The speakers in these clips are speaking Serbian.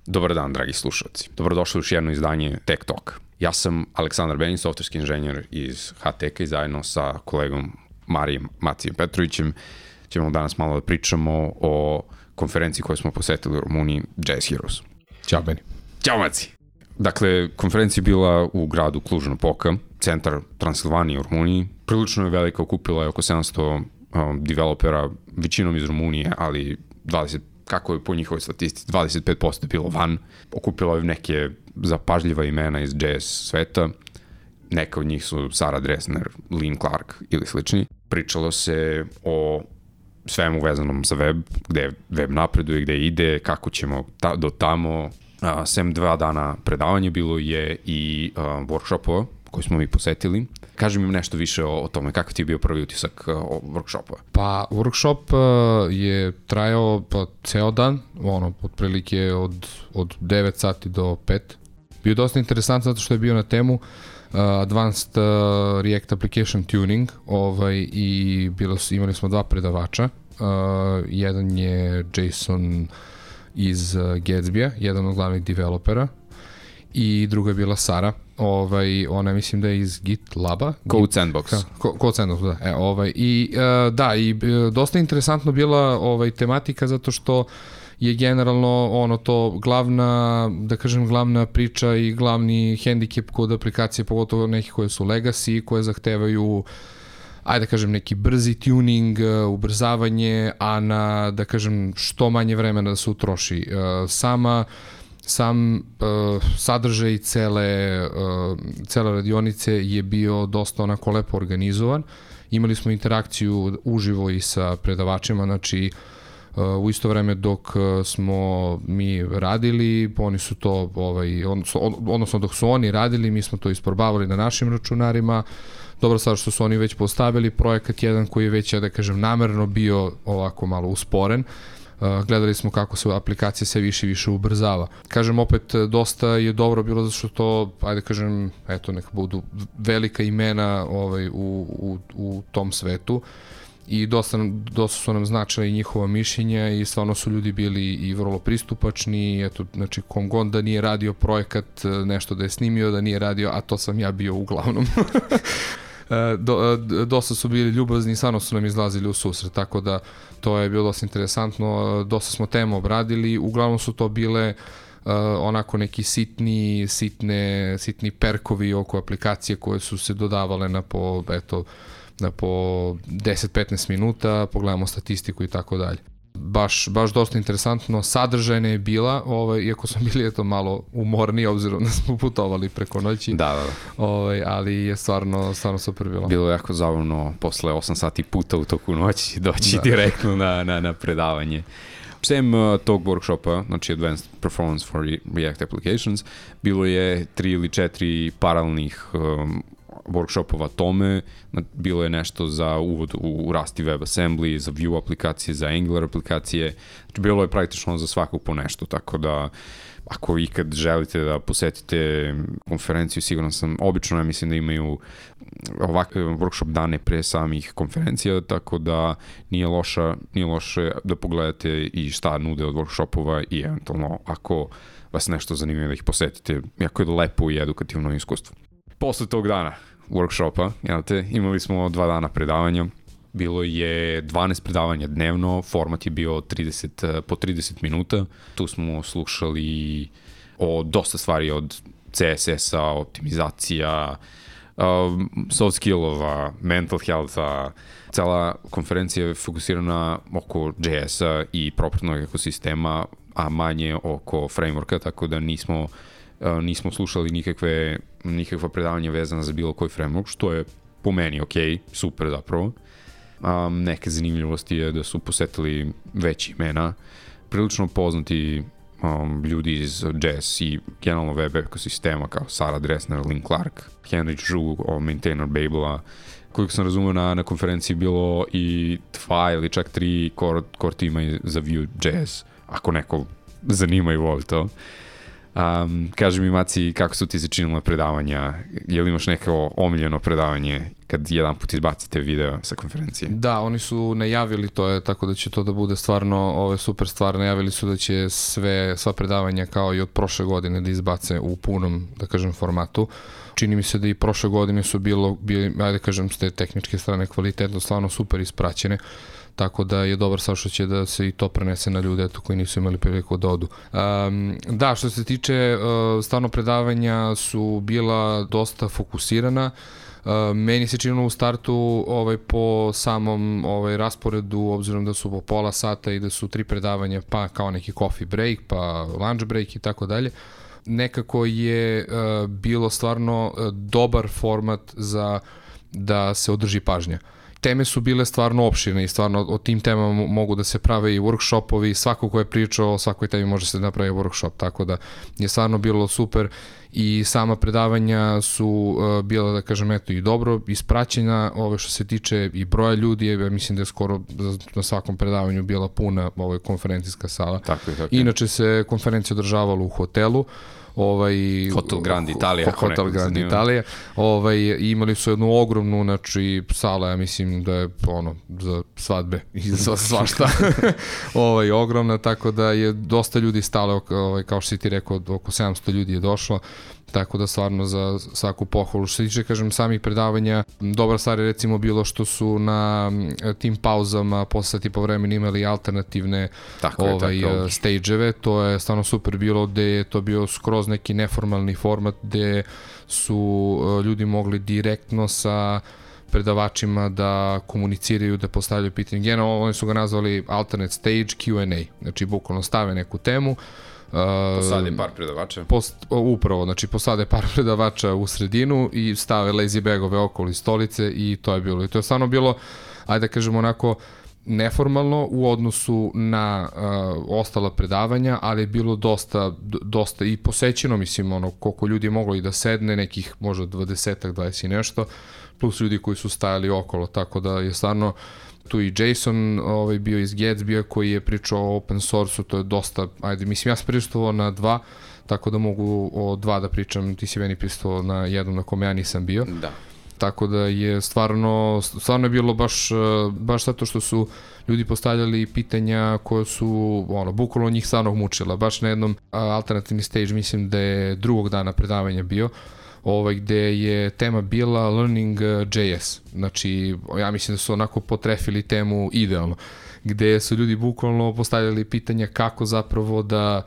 Dobar dan, dragi slušalci. Dobrodošli u još jedno izdanje Tech Talk. Ja sam Aleksandar Benin, softverski inženjer iz HTK i zajedno sa kolegom Macijem Petrovićem ćemo danas malo da pričamo o konferenciji koju smo posetili u Rumuniji, Jazz Heroes. Ćao, Beni. Ćao, Maci. Dakle, konferencija je bila u gradu Cluj-Napoca, centar Transilvanije u Rumuniji. Prilično je velika, okupila je oko 700 developera, većinom iz Rumunije, ali kako je po njihovoj statistici, 25% je bilo van. Okupilo je neke zapažljiva imena iz jazz sveta. Neka od njih su Sarah Dressner, Lynn Clark ili slični. Pričalo se o svemu vezanom za web, gde web napreduje, gde ide, kako ćemo do tamo. Sem 2 dana predavanja bilo je i workshopova koji smo mi posetili. Kaži mi nešto više o tome, kakav ti je bio prvi utisak o workshopova? Pa, workshop je trajao ceo dan, otprilike od 9 sati do 5. Bio dosta interesantan zato što je bio na temu Advanced React Application Tuning i imali smo 2 predavača. Jedan je Jason iz Gatsby-a, jedan od glavnih developera, i druga je bila Sara. Ona mislim da je iz GitLaba. Code Sandbox. Code Sandbox, da. I dosta interesantno bila tematika zato što je generalno to glavna priča i glavni hendikep kod aplikacije, pogotovo nekih koje su legacy, koje zahtevaju neki brzi tuning, ubrzavanje, a na, što manje vremena da se utroši. Sam sadržaj cele radionice je bio dosta onako lepo organizovan. Imali smo interakciju uživo i sa predavačima, znači u isto vreme dok smo mi radili, oni su to, odnosno dok su oni radili, mi smo to isprobavali na našim računarima. Dobro stvar što su oni već postavili projekat jedan koji je već, namerno bio ovako malo usporen. Gledali smo kako se aplikacija sve više i više ubrzava. Opet, dosta je dobro bilo zato što to, neka budu velika imena u tom svetu i dosta su nam značila i njihova mišljenja i stvarno su ljudi bili i vrlo pristupačni. Kom god da nije radio projekat, nešto da je snimio, da nije radio, a to sam ja bio uglavnom. Dosta su bili ljubazni i stvarno su nam izlazili u susret, tako da to je bilo dosta interesantno. Dosta smo tema obradili, uglavnom su to bile onako neki sitni perkovi oko aplikacije koje su se dodavale na po 10-15 minuta, pogledamo statistiku i tako dalje. Baš dosta interesantno, sadržajna je bila, iako smo bili malo umorni, obzirom da smo putovali preko noći. Da. Ali je stvarno super bilo. Bilo je jako zabavno posle 8 sati puta u toku noći doći direktno na predavanje. Sem tog workshopa, znači Advanced Performance for React Applications, bilo je 3 ili 4 paralelnih workshopova tome. Bilo je nešto za uvod u Rust i WebAssembly, za Vue aplikacije, za Angular aplikacije. Znači, bilo je praktično za svakog po nešto, tako da ako ikad želite da posetite konferenciju, sigurno sam, obično ja mislim da imaju ovakve workshop dane pre samih konferencija, tako da nije loše da pogledate i šta nude od workshopova i eventualno ako vas nešto zanima da ih posetite, jako je lepo i edukativno iskustvo. Posle tog dana workshopa, imali smo 2 dana predavanja, bilo je 12 predavanja dnevno, format je bio po 30 minuta, tu smo slušali o dosta stvari od CSS-a, optimizacija, soft skillova, mental healtha. Cela konferencija je fokusirana oko JS-a i proprietnog ekosistema, a manje oko frameworka, tako da nismo slušali nikakva predavanja vezana za bilo koji framework, što je po meni super zapravo. Neke zanimljivosti je da su posetili veći imena, prilično poznati ljudi iz jazz i generalno web ekosistema kao Sarah Dressner, Lynn Clark, Henry Zhu, maintainer Babel-a. Koliko sam razumio na konferenciji bilo i 2 ili čak 3 core tima za Vue.js, ako neko zanima i voli to. Kaži mi, Maci, kako su ti se činila predavanja? Je li imaš neko omiljeno predavanje kad jedan put izbacite video sa konferencije? Da, oni su najavili to, je tako da će to da bude stvarno super stvar. Najavili su da će sva predavanja kao i od prošle godine da izbace u punom, da kažem, formatu. Čini mi se da i prošle godine su bili, ajde kažem, s te tehničke strane kvalitetno, stvarno super ispraćene. Tako da je dobar sad što će da se i to prenese na ljude koji nisu imali priliku da odu. Da, što se tiče stvarno predavanja su bila dosta fokusirana. Meni se činilo u startu po samom rasporedu, obzirom da su po pola sata i da su 3 predavanja, pa kao neki coffee break, pa lunch break i tako dalje. Nekako je bilo stvarno dobar format za da se održi pažnja. Teme su bile stvarno opširne i stvarno o tim temama mogu da se prave i workshopovi, svako ko je pričao o svakoj temi može se napravi workshop, tako da je stvarno bilo super i sama predavanja su bila, da kažem, eto, i dobro ispraćena, što se tiče i broja ljudi, ja mislim da je skoro na svakom predavanju bila puna konferencijska sala. Tako. Inače se konferencija održavala u hotelu, Hotel Grand Italia. Hotel Grand Italia. Imali su jednu ogromnu, znači, sala, ja mislim da je za svadbe i za svašta. Ogromna, tako da je dosta ljudi stalo, kao što si ti rekao, oko 700 ljudi je došlo, tako da stvarno za svaku pohvalu. Što se tiče, kažem, samih predavanja, dobra stvar je recimo bilo što su na tim pauzama posle sati po vremena imali alternativne stage-eve, to je stvarno super bilo, gde je to bio skroz neki neformalni format gde su ljudi mogli direktno sa predavačima da komuniciraju, da postavljaju pitanje. Generalno, oni su ga nazvali alternate stage Q&A, znači bukvalno stave neku temu, posade par predavača. Upravo, znači posade par predavača u sredinu i stave lazy bagove okolo stolice i to je bilo. I to je stvarno bilo, ajde da kažemo onako, neformalno u odnosu na ostala predavanja, ali je bilo dosta i posećeno, mislim, koliko ljudi je moglo i da sedne, nekih možda 20 i nešto, plus ljudi koji su stajali okolo, tako da je stvarno tu i Jason bio iz Gatsby-a koji je pričao o open source-u, to je dosta, ajde, mislim, ja sam prisustvovao na 2, tako da mogu o 2 da pričam, ti si meni prisustvovao na jednom na kome ja nisam bio. Da. Tako da je stvarno je bilo baš zato što su ljudi postavljali pitanja koje su, bukvalno njih stvarno mučila. Baš na jednom alternativni stage, mislim da je drugog dana predavanja bio, gde je tema bila Learning JS. Znači, ja mislim da su onako potrefili temu idealno, gde su ljudi bukvalno postavljali pitanja kako zapravo da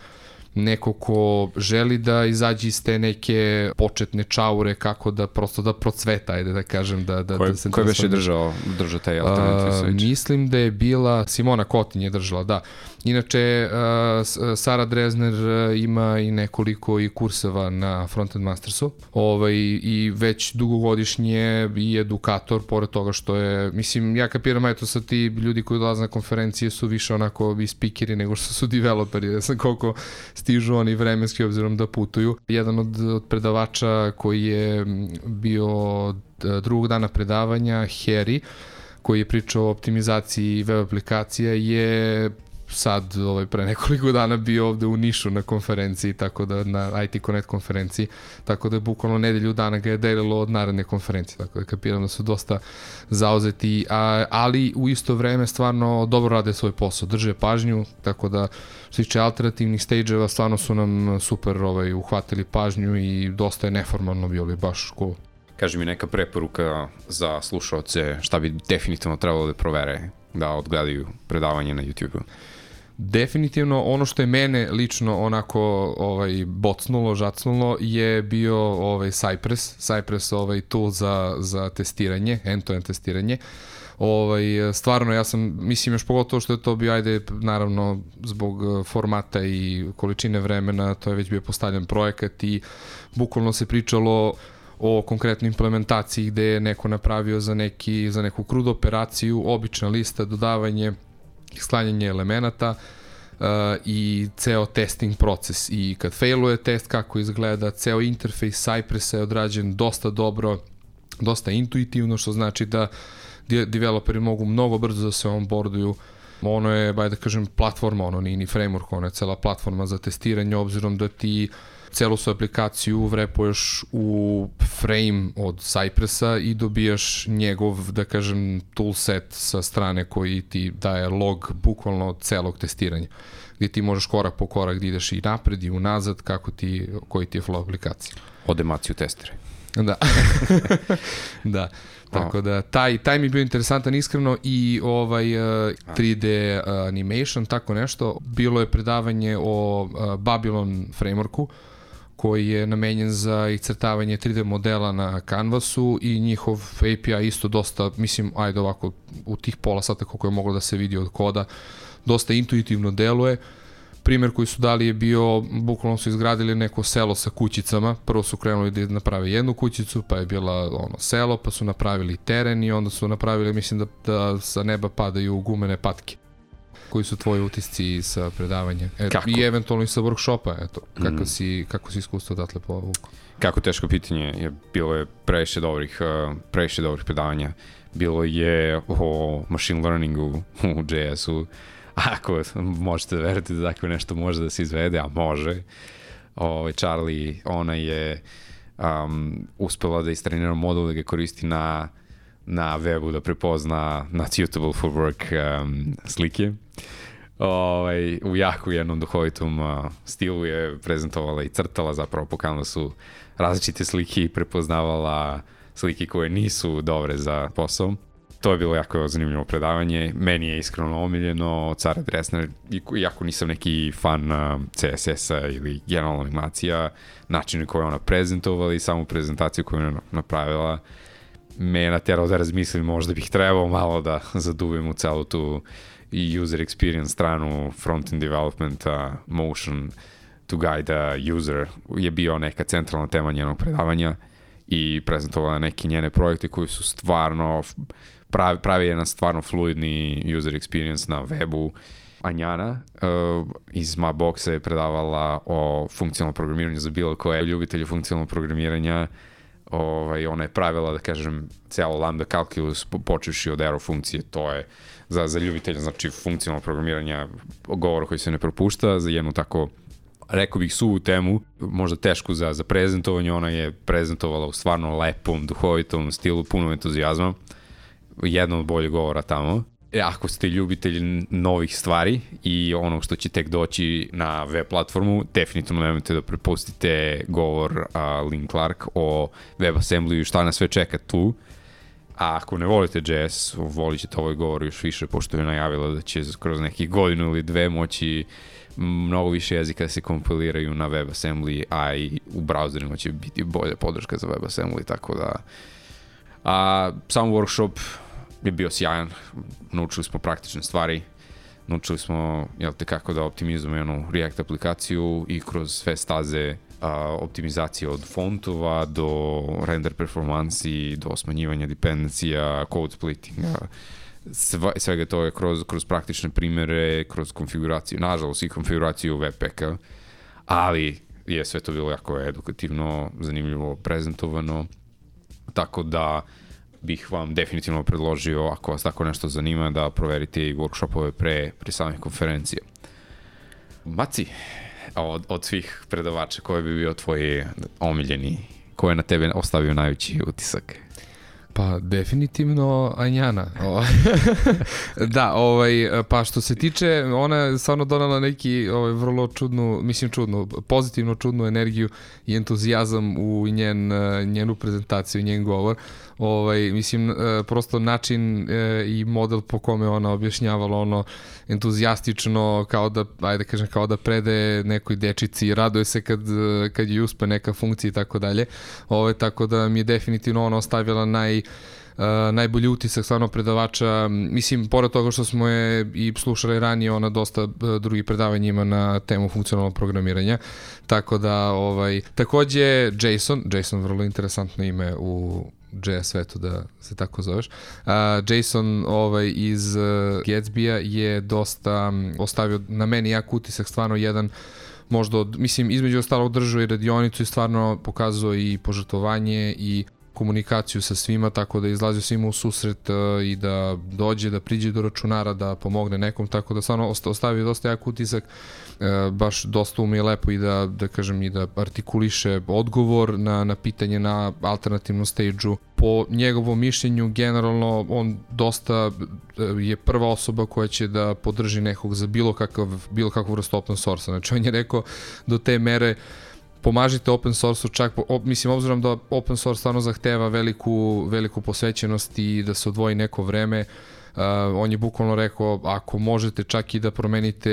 neko ko želi da izađe iz te neke početne čaure, kako da prosto da procveta, ajde da kažem. Ko je već držao taj alternative switch? Mislim da je bila Simona Kotin je držala, da. Inače, Sara Dresner ima i nekoliko i kurseva na Frontend Mastersu i već dugogodišnje i edukator, pored toga što je, mislim, ja kapiram, eto sad ti ljudi koji dolaze na konferencije su više onako i speakeri nego što su developeri, ne znam koliko stižu oni vremenski obzirom da putuju. Jedan od predavača koji je bio drugog dana predavanja, Harry, koji je pričao o optimizaciji web aplikacija, je sad pre nekoliko dana bio ovde u Nišu na konferenciji, tako da na IT Connect konferenciji, tako da je bukvalno nedelju dana ga je delilo od naredne konferencije, tako da kapiram da su dosta zauzeti, ali u isto vreme stvarno dobro rade svoj posao, drže pažnju, tako da što se tiče alternativnih stage-eva stvarno su nam super uhvatili pažnju i dosta je neformalno bilo, baš cool. Kaži mi neka preporuka za slušaoce, šta bi definitivno trebalo da provere da odgledaju predavanje na YouTube-u? Definitivno ono što je mene lično onako bocnulo, žacnulo je bio Cypress tool za testiranje, end-to-end testiranje. Stvarno ja sam, mislim još pogotovo što je to bio, ajde naravno zbog formata i količine vremena, to je već bio postavljen projekat i bukvalno se pričalo o konkretnoj implementaciji gde je neko napravio za neku CRUD operaciju, obična lista, dodavanje, sklanjanje elemenata i ceo testing proces. I kad failuje test, kako izgleda, ceo interfejs Cypressa je odrađen dosta dobro, dosta intuitivno, što znači da developeri mogu mnogo brzo da se onboarduju. Ono je, da kažem, platforma, ono nije ni framework, ono je cela platforma za testiranje, obzirom da ti celu su aplikaciju vrepuješ u frame od Cypressa i dobijaš njegov, da kažem, toolset sa strane koji ti daje log bukvalno celog testiranja, gdje ti možeš korak po korak da ideš i napred i unazad, koji ti je flow aplikacija. Odemaciju testere. Da. Da. Tako da, taj mi je bio interesantan iskreno i 3D animation, tako nešto. Bilo je predavanje o Babylon frameworku, koji je namenjen za iscrtavanje 3D modela na Canvasu i njihov API isto dosta, mislim, ajde ovako, u tih pola sata koliko je moglo da se vidi od koda, dosta intuitivno deluje. Primer koji su dali je bio, bukvalno su izgradili neko selo sa kućicama. Prvo su krenuli da naprave jednu kućicu, pa je bila selo, pa su napravili teren i onda su napravili, mislim da sa neba padaju gumene patke. Koji su tvoji utisci sa predavanja? I eventualno i sa workshopa, eto. Kako si iskustvo odatle povukao? Kako teško pitanje, bilo je previše dobrih predavanja. Bilo je o machine learningu u JS-u. Ako možete veriti da takve nešto može da se izvede, a može. Charlie, ona je uspela da istrenira modul da ga koristi na webu da prepozna not suitable for work slike. U jako jednom duhovitom stilu je prezentovala i crtala zapravo po Canvasu različite slike i prepoznavala slike koje nisu dobre za posao. To je bilo jako zanimljivo predavanje. Meni je iskreno omiljeno Cara Dressner, iako nisam neki fan CSS-a ili generalna animacija, način koji je ona prezentovala i samu prezentaciju koju je napravila me je naterao da razmislim, možda bih trebao malo da zaduvim u celu tu i user experience stranu, front-end developmenta, motion to guide user je bio neka centralna tema njenog predavanja i prezentovala neke njene projekte koji su stvarno pravi jedan stvarno fluidni user experience na webu. Anjana iz Mapboxa je predavala o funkcionalnom programiranju za bilo koje ljubitelje funkcionalnog programiranja. Ona je pravila, da kažem, cijelo lambda calculus počevši od arrow funkcije, to je za ljubitelja, znači funkcionalnog programiranja, govor koji se ne propušta, za jednu tako, rekao bih, suvu temu, možda tešku za prezentovanje. Ona je prezentovala u stvarno lepom, duhovitom stilu, puno entuzijazma, jedno od boljih govora tamo. Ako ste ljubitelji novih stvari i onog što će tek doći na web platformu, definitivno nemojte da prepustite govor Lynn Clark o WebAssembly i šta nas sve čeka tu. A ako ne volite JS, volit ćete ovaj govor još više, pošto je najavila da će kroz nekih godinu ili dve moći mnogo više jezika da se kompiliraju na WebAssembly, a i u browserima će biti bolja podrška za WebAssembly, tako da... Sam workshop je bio sjajan, naučili smo praktične stvari, naučili smo kako da optimizujemo jednu React aplikaciju i kroz sve staze optimizacije od fontova do render performansi, do smanjivanja dependencija, code splittinga, svega to je kroz praktične primere, kroz konfiguraciju, nažalost i konfiguraciju Webpacka, ali je sve to bilo jako edukativno, zanimljivo prezentovano, tako da bih vam definitivno predložio, ako vas tako nešto zanima, da proverite i workshopove pre samih konferencije. Maci, od svih predavača, koji bi bio tvoj omiljeni, ko je na tebe ostavio najveći utisak? Pa definitivno Anjana. Da, pa što se tiče, ona je stvarno donala neki vrlo pozitivno čudnu energiju i entuzijazam u njenu prezentaciju, njen govor. Prosto način i model po kome ona objašnjavala entuzijastično, kao da predaje nekoj dečici i raduje se kad joj uspe neka funkcija i tako dalje. Tako da mi je definitivno ona ostavila najbolji utisak stvarno predavača. Mislim, pored toga što smo je i slušali ranije, ona dosta drugih predavanja ima na temu funkcionalnog programiranja. Tako da, takođe Jason, vrlo interesantno ime u JS svetu, da se tako zoveš. Jason iz Gatsby-a je dosta ostavio na meni jak utisak, stvarno jedan, možda između ostalog držao i radionicu i stvarno pokazao i požrtvovanje i komunikaciju sa svima, tako da izlazio svima u susret i da dođe, da priđe do računara, da pomogne nekom, tako da stvarno ostavio dosta jak utisak, baš dosta ume lepo i da kažem i da artikuliše odgovor na pitanje na alternativnom stage-u. Po njegovom mišljenju, generalno, on dosta je prva osoba koja će da podrži nekog za bilo kakvu vrstu open source-a. Znači, on je rekao do te mere pomažite open source-u, čak, mislim, obzirom da open source stvarno zahteva veliku posvećenost i da se odvoji neko vreme, on je bukvalno rekao, ako možete čak i da promenite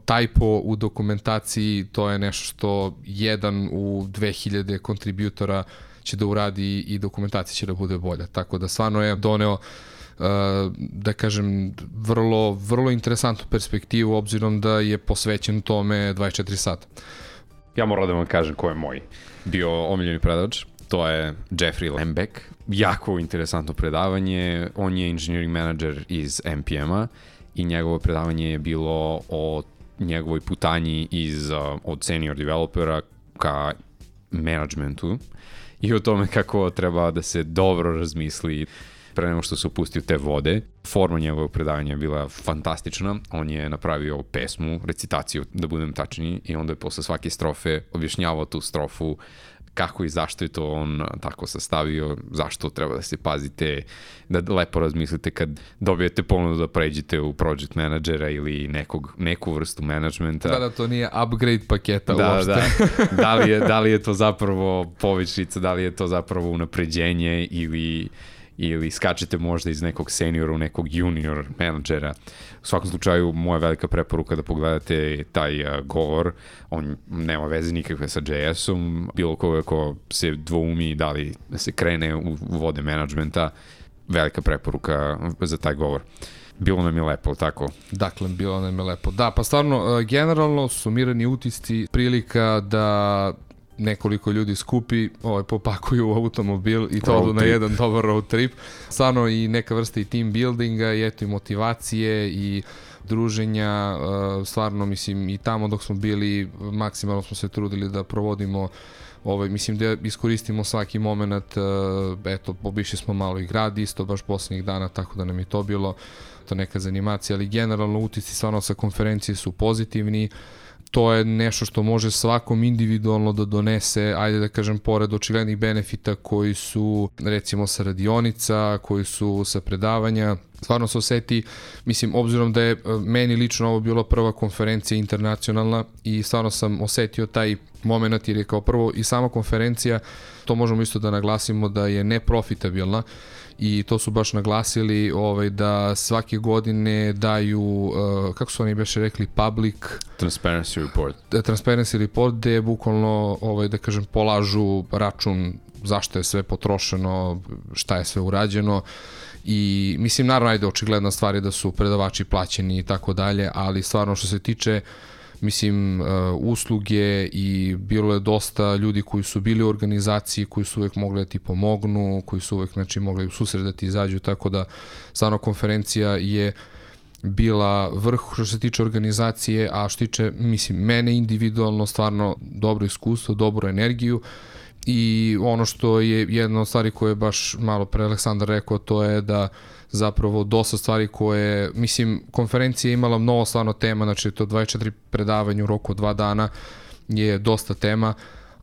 typo u dokumentaciji, to je nešto što 1 u 2000 kontributora će da uradi i dokumentacija će da bude bolja. Tako da stvarno je doneo da kažem vrlo interesantnu perspektivu, obzirom da je posvećen tome 24 sata. Ja moram da vam kažem ko je moj bio omiljeni predavač. To je Jeffrey Lembeck. Jako interesantno predavanje. On je engineering manager iz NPM-a i njegovo predavanje je bilo o njegovoj putanji od senior developera ka managementu i o tome kako treba da se dobro razmisli pre nego što se upusti u te vode. Forma njegovog predavanja je bila fantastična. On je napravio pesmu, recitaciju, da budem tačniji, i onda je posle svake strofe objašnjavao tu strofu, kako i zašto je to on tako sastavio, zašto treba da se pazite, da lepo razmislite kad dobijete ponudu da pređete u project managera ili neku vrstu managementa. Da, to nije upgrade paketa uopšte. Da li je to zapravo povišica, da li je to zapravo unapređenje ili skačete možda iz nekog seniora u nekog junior menadžera. U svakom slučaju, moja velika preporuka da pogledate taj govor. On nema veze nikakve sa JS-om. Bilo ko se dvoumi da li se krene u vode menadžmenta, velika preporuka za taj govor. Bilo nam je lepo, tako? Dakle, bilo nam je lepo. Da, pa stvarno, generalno, sumirani utisci, prilika da nekoliko ljudi skupi, popakuju u automobil i to odu na jedan dobar road trip. Stvarno i neka vrsta i team buildinga i eto i motivacije i druženja, stvarno mislim i tamo dok smo bili maksimalno smo se trudili da provodimo mislim da iskoristimo svaki moment, eto obišli smo malo i grad isto baš poslednjih dana, tako da nam je to bilo to neka zanimacija, ali generalno utisci stvarno sa konferencije su pozitivni. To je nešto što može svakom individualno da donese, ajde da kažem, pored očiglednih benefita koji su recimo sa radionica, koji su sa predavanja. Stvarno se oseti, mislim, obzirom da je meni lično ovo bila prva konferencija internacionalna i stvarno sam osetio taj moment jer je kao prvo i sama konferencija, to možemo isto da naglasimo da je neprofitabilna i to su baš naglasili da svake godine daju, kako su oni beše rekli, public Transparency Report, gde bukvalno, da kažem, polažu račun zašto je sve potrošeno, šta je sve urađeno i mislim, naravno, ajde, očigledna stvar je da su predavači plaćeni i tako dalje, ali stvarno što se tiče mislim, usluge i bilo je dosta ljudi koji su bili u organizaciji, koji su uvek mogli da ti pomognu, koji su uvek, znači, mogli u susret da ti izađu, tako da stvarno konferencija je bila vrh što se tiče organizacije, a što tiče, mislim, mene individualno stvarno dobro iskustvo, dobru energiju i ono što je jedna od stvari koje je baš malo pre Aleksandar rekao, to je da zapravo dosta stvari koje, mislim, konferencija je imala mnogo stvarno tema, znači to 24 predavanja u roku od 2 dana je dosta tema,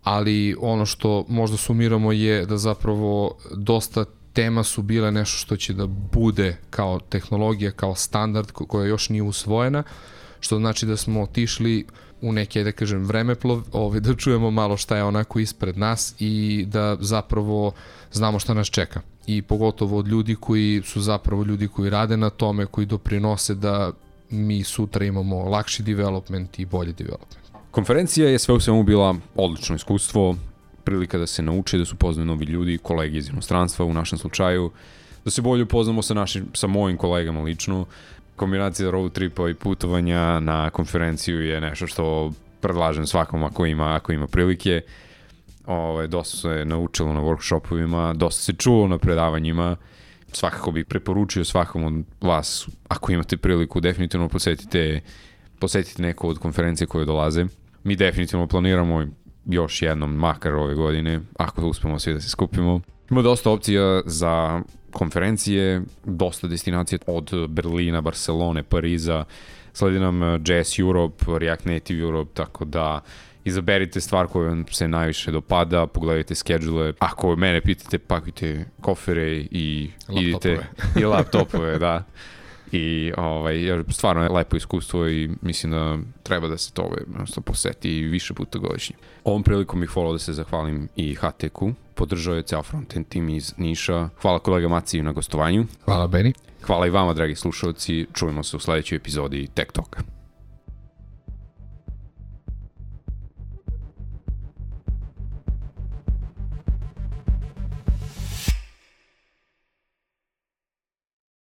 ali ono što možda sumiramo je da zapravo dosta tema su bile nešto što će da bude kao tehnologija, kao standard koja još nije usvojena, što znači da smo otišli u neke, da kažem, vremeplov, da čujemo malo šta je onako ispred nas i da zapravo znamo šta nas čeka. I pogotovo od ljudi koji su zapravo ljudi koji rade na tome, koji doprinose da mi sutra imamo lakši development i bolji development. Konferencija je sve u svemu bila odlično iskustvo, prilika da se nauče, da su upoznaju novi ljudi, kolegi iz inostranstva u našem slučaju, da se bolje upoznamo sa mojim kolegama lično. Kombinacija road tripa i putovanja na konferenciju je nešto što predlažem svakom ako ima prilike. Dosta se naučilo na workshopovima, dosta se čulo na predavanjima. Svakako bih preporučio svakom od vas, ako imate priliku, definitivno posetite neku od konferencije koje dolaze. Mi definitivno planiramo još jednom, makar ove godine, ako uspemo svi da se skupimo. Ima dosta opcija za konferencije, dosta destinacija od Berlina, Barcelone, Pariza, sledi nam JS Europe, React Native Europe, tako da izaberite stvar koja vam se najviše dopada, pogledajte schedule. Ako mene pitate, pakujte kofere i idite i laptopove, da. I stvarno je lepo iskustvo i mislim da treba da se to poseti više puta godišnje. Ovom prilikom bih volao da se zahvalim i HTQ, podržao je ceo frontend tim iz Niša. Hvala kolega Maciju na gostovanju. Hvala Beni. Hvala i vama, dragi slušalci. Čujemo se u sledećoj epizodi Tech Talka.